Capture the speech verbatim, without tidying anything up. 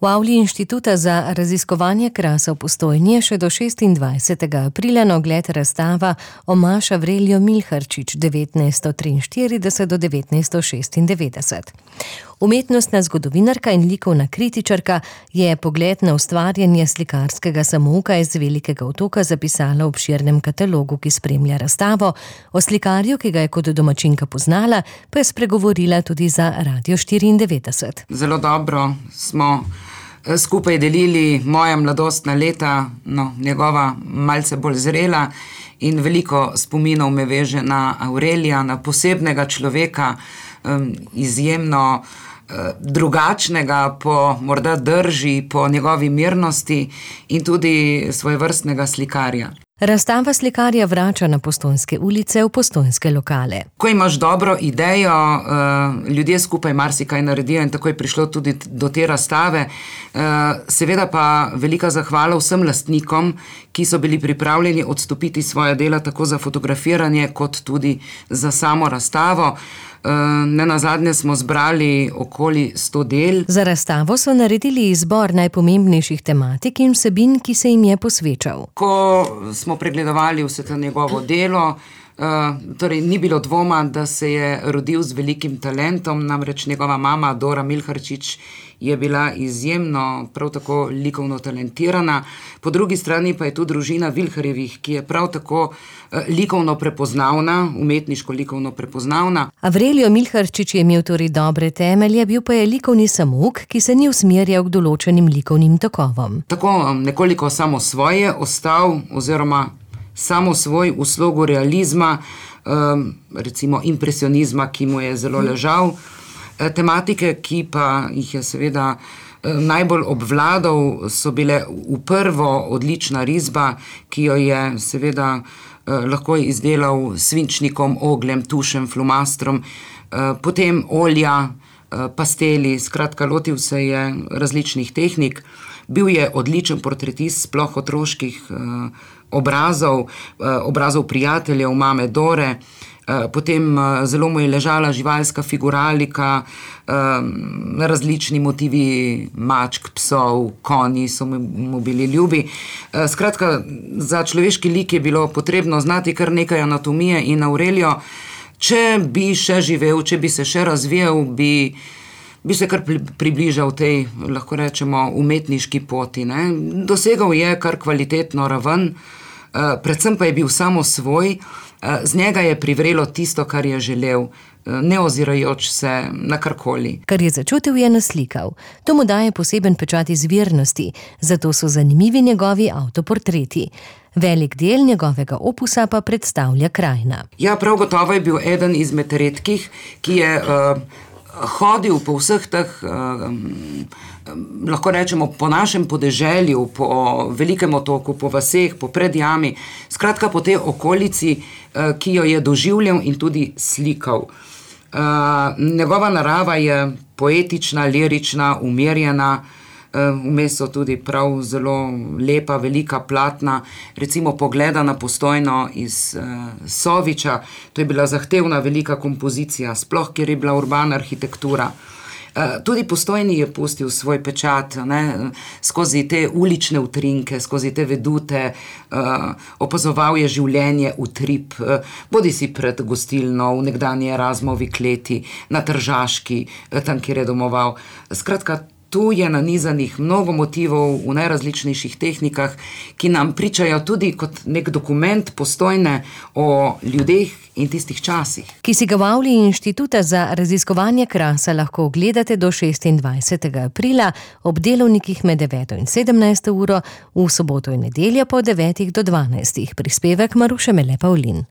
V avli Inštituta za raziskovanje krasa v Postojni je še do šestindvajsetega aprila na ogled razstava Omaž Avrelijo Milharčič devetnajststo triinštirideset do devetnajststo šestindevetdeset. Umetnostna zgodovinarka in likovna kritičarka je pogled na ustvarjanje slikarskega samouka iz Velikega otoka zapisala v obširnem katalogu, ki spremlja razstavo. O slikarju, ki ga je kot domačinka poznala, pa je spregovorila tudi za Radio štiriindevetdeset. Zelo dobro smo skupaj delili moja mladostna leta, no, njegova malce bolj zrela, in veliko spominov me veže na Avrelija, na posebnega človeka, um, izjemno uh, drugačnega po morda drži, po njegovi mirnosti in tudi svojevrstnega slikarja. Razstava slikarja vrača na Postojnske ulice v postojnske lokale. Ko imaš dobro idejo, ljudje skupaj marsikaj naredijo in tako je prišlo tudi do te razstave. Seveda pa velika zahvala vsem lastnikom, ki so bili pripravljeni odstopiti svoje dela tako za fotografiranje kot tudi za samo razstavo. Nenazadnje smo zbrali okoli sto del. Za razstavo so naredili izbor najpomembnejših tematik in vsebin, ki se jim je posvečal. Ko smo pregledovali vse to njegovo delo, torej ni bilo dvoma, da se je rodil z velikim talentom, namreč njegova mama Dora Milharčič je bila izjemno, prav tako likovno talentirana. Po drugi strani pa je tu družina Vilharjevih, ki je prav tako likovno prepoznavna, umetniško likovno prepoznavna. Avrelijo Milharčič je imel torej dobre temelje, bil pa je likovni samouk, ki se ni usmerjal k določenim likovnim tokovom. Tako nekoliko samo svoje ostal, oziroma samo svoj v slogu realizma, recimo impresionizma, ki mu je zelo ležal. Tematike, ki pa jih je seveda najbolj obvladal, so bile v prvo odlična risba, ki jo je seveda lahko izdelal s svinčnikom, ogljem, tušem, flomastrom, potem olja, pasteli, skratka lotil se je različnih tehnik. Bil je odličen portretist, sploh otroških obrazov, obrazov prijateljev, mame Dore. Potem zelo mu je ležala živalska figuralika, različni motivi mačk, psov, konji so mu bili ljubi. Skratka, za človeški lik je bilo potrebno znati kar nekaj anatomije in Avrelijo, če bi še živel, če bi se še razvijal, bi, bi se kar približal tej, lahko rečemo, umetniški poti, ne. Dosegal je kar kvalitetno raven, predvsem pa je bil samo svoj. Z njega je privrelo tisto, kar je želel, ne ozirajoč se na karkoli. Kar je začutil, je naslikal. To mu daje poseben pečat izvirnosti, zato so zanimivi njegovi avtoportreti. Velik del njegovega opusa pa predstavlja krajina. Ja, prav gotovo je bil eden izmed redkih, ki je uh, hodil po vseh teh, uh, lahko rečemo, po našem podeželju, po Velikem otoku, po vaseh, po Predjami, skratka po tej okolici, uh, ki jo je doživljal in tudi slikal. Uh, njegova narava je poetična, lirična, umirjena, vmes so tudi prav zelo lepa, velika platna, recimo Pogleda na Postojno iz uh, Soviča. To je bila zahtevna velika kompozicija, sploh kjer je bila urbana arhitektura. Uh, tudi Postojni je pustil svoj pečat, ne, skozi te ulične utrinke, skozi te vedute, uh, opazoval je življenje utrip, uh, bodi si pred gostilno, v nekdanji Erasmovi kleti, na Tržaški, uh, tam, kjer je domoval. Skratka, tu je nanizanih mnogo motivov v najrazličnejših tehnikah, ki nam pričajo tudi kot nek dokument Postojne o ljudeh in tistih časih. Ki si ga v avli Inštituta za raziskovanje krasa lahko ogledate do šestindvajsetega aprila ob delovnikih med deveto in sedemnajsto uro, v soboto in nedeljo po devetih do dvanajstih. Prispevek Maruše Mele Pavlin.